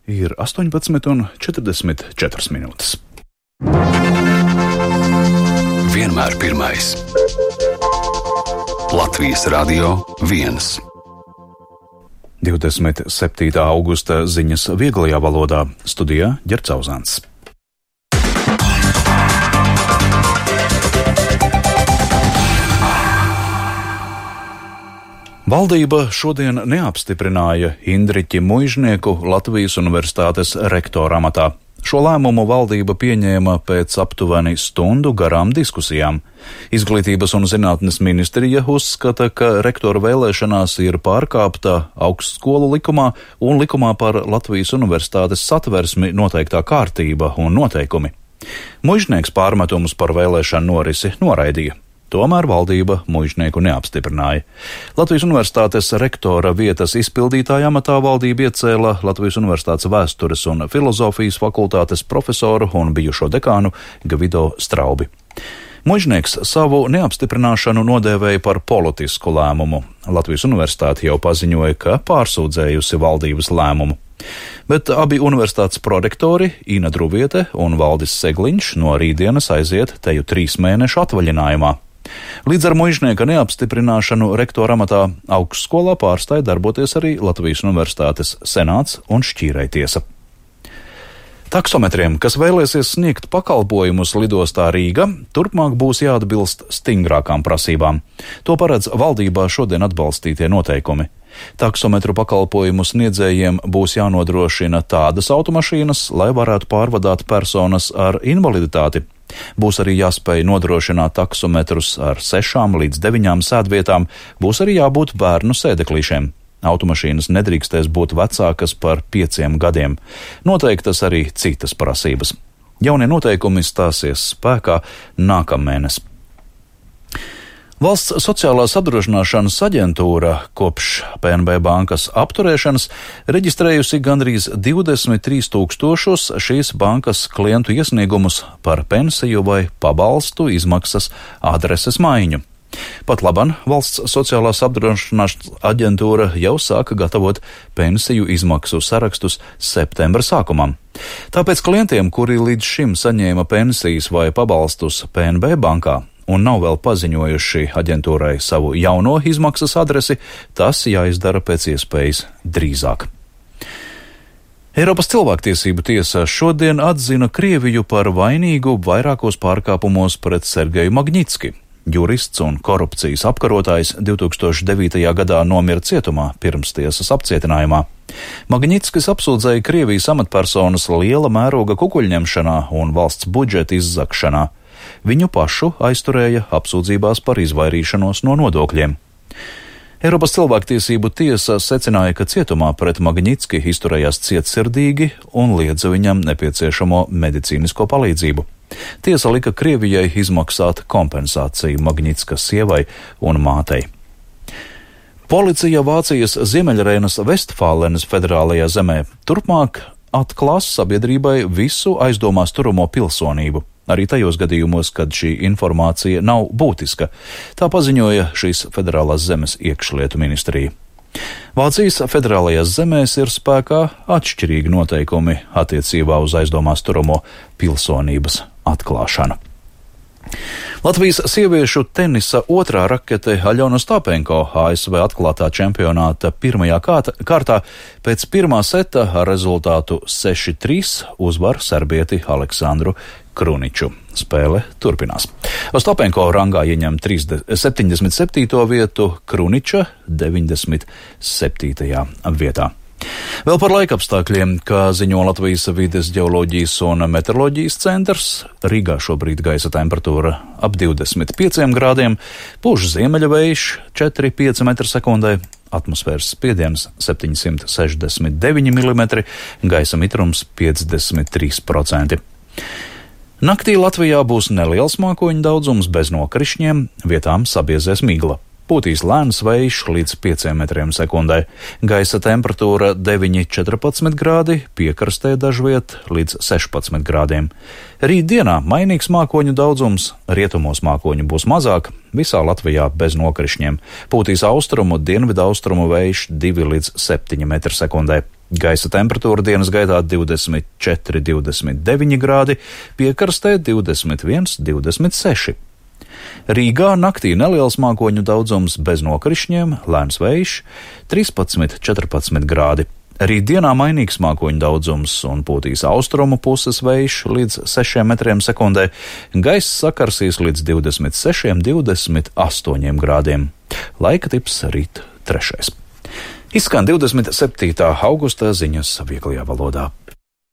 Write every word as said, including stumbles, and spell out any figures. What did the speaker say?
Ir astoņpadsmit un četrdesmit četras minūtes. Vienmēr pirmais. Latvijas Radio viens. divdesmit septītā augusta ziņas vieglajā valodā. Studijā Ģerts Auzāns. Valdība šodien neapstiprināja Indriķi Muižnieku Latvijas Universitātes rektora amatā. Šo lēmumu valdība pieņēma pēc aptuveni stundu garām diskusijām. Izglītības un zinātnes ministrija uzskata, ka rektora vēlēšanās ir pārkāpta augstskolu likumā un likumā par Latvijas Universitātes satversmi noteiktā kārtība un noteikumi. Muižnieks pārmetumus par vēlēšanu norisi noraidīja. Tomēr valdība Muižnieku neapstiprināja. Latvijas Universitātes rektora vietas izpildītāja amatā valdība iecēla Latvijas Universitātes vēstures un filozofijas fakultātes profesoru un bijušo dekānu Gvido Straubi. Muižnieks savu neapstiprināšanu nodēvēja par politisku lēmumu. Latvijas Universitāte jau paziņoja, ka pārsūdzējusi valdības lēmumu. Bet abi universitātes prorektori Ina Druviete un Valdis Segliņš no rītdienas aiziet teju trīs mēnešu atvaļinājumā. Līdz ar Muižnieka neapstiprināšanu rektora amatā augstskolā pārstāja darboties arī Latvijas Universitātes senāts un šķīrējtiesa. Taksometriem, kas vēlēsies sniegt pakalpojumus lidostā Rīga, turpmāk būs jāatbilst stingrākām prasībām. To paredz valdībā šodien atbalstītie noteikumi. Taksometru pakalpojumu sniedzējiem būs jānodrošina tādas automašīnas, lai varētu pārvadāt personas ar invaliditāti. Būs arī jāspēj nodrošināt taksometrus ar sešām līdz deviņām sēdvietām, būs arī jābūt bērnu sēdeklīšiem. Automašīnas nedrīkstēs būt vecākas par pieciem gadiem. Noteiktas arī citas prasības. Jaunie noteikumi stāsies spēkā nākamēnes. Valsts sociālās apdrošināšanas aģentūra kopš P N B bankas apturēšanas reģistrējusi gandrīz divdesmit trīs tūkstošus šīs bankas klientu iesniegumus par pensiju vai pabalstu izmaksas adreses maiņu. Pat laban Valsts sociālās apdrošināšanas aģentūra jau sāka gatavot pensiju izmaksu sarakstus septembra sākumam. Tāpēc klientiem, kuri līdz šim saņēma pensijas vai pabalstus P N B bankā, un nav vēl paziņojuši aģentūrai savu jauno izmaksas adresi, tas jāizdara pēc iespējas drīzāk. Eiropas cilvēktiesību tiesa šodien atzina Krieviju par vainīgu vairākos pārkāpumos pret Sergeju Magnitski. Jurists un korupcijas apkarotājs divi tūkstoši devītajā gadā nomira cietumā pirms tiesas apcietinājumā. Magnitskis apsūdzēja Krievijas amatpersonas liela mēroga kukuļņemšanā un valsts budžeta izzakšanā. Viņu pašu aizturēja apsūdzībās par izvairīšanos no nodokļiem. Eiropas cilvēktiesību tiesa secināja, ka cietumā pret Magnitski izturējās cietsirdīgi un liedza viņam nepieciešamo medicīnisko palīdzību. Tiesa lika Krievijai izmaksāt kompensāciju Magnitskas sievai un mātei. Policija Vācijas Ziemeļreinas Vestfālenes federālajā zemē turpmāk atklās sabiedrībai visu aizdomās turamo pilsonību, arī tajos gadījumos, kad šī informācija nav būtiska. Tā paziņoja šīs federālās zemes iekšlietu ministrija. Vācijas federālajās zemēs ir spēkā atšķirīgi noteikumi attiecībā uz aizdomās turamo pilsonības atklāšanu. Latvijas sieviešu tenisa otrā rakete Aļona Ostapenko A S V atklātā čempionāta pirmajā kārtā pēc pirmā seta ar rezultātu seši trīs uzvar serbieti Aleksandru Kruniču. Spēle turpinās. Ostapenko rangā ieņem septiņdesmit septīto vietu, Kruniča deviņdesmit septītajā vietā. Vēl par laikapstākļiem, kā ziņo Latvijas vides ģeoloģijas un meteoroloģijas centrs, Rīgā šobrīd gaisa temperatūra ap divdesmit pieciem grādiem, pūš ziemeļvējš četri līdz pieci metri sekundē, atmosfēras spiediens septiņsimt sešdesmit deviņi milimetri, gaisa mitrums piecdesmit trīs procenti. Naktī Latvijā būs neliels mākoņu daudzums bez nokrišņiem, vietām sabiezēs migla. Pūtīs lēns vējš līdz pieciem metriem sekundē. Gaisa temperatūra deviņi līdz četrpadsmit grādi, piekrastē dažviet līdz sešpadsmit grādiem. Rīt dienā mainīgs mākoņu daudzums, rietumos mākoņu būs mazāk, visā Latvijā bez nokrišņiem. Pūtīs austrumu, dienvidu austrumu vējš divi līdz septiņi metri sekundē. Gaisa temperatūra dienas gaitā divdesmit četri, divdesmit deviņi grādi, piekrastē divdesmit viens, divdesmit seši. Rīgā naktī neliels mākoņu daudzums bez nokrišņiem, lēns vējš, trīspadsmit, četrpadsmit grādi. Rīt dienā mainīgs mākoņu daudzums un pūtīs austrumu puses vējš līdz sešiem metriem sekundē, gaiss sakarsīs līdz divdesmit sešiem, divdesmit astoņiem grādiem. Laika tips rīt trešais. Izskan divdesmit septītā augusta ziņas vieglajā valodā.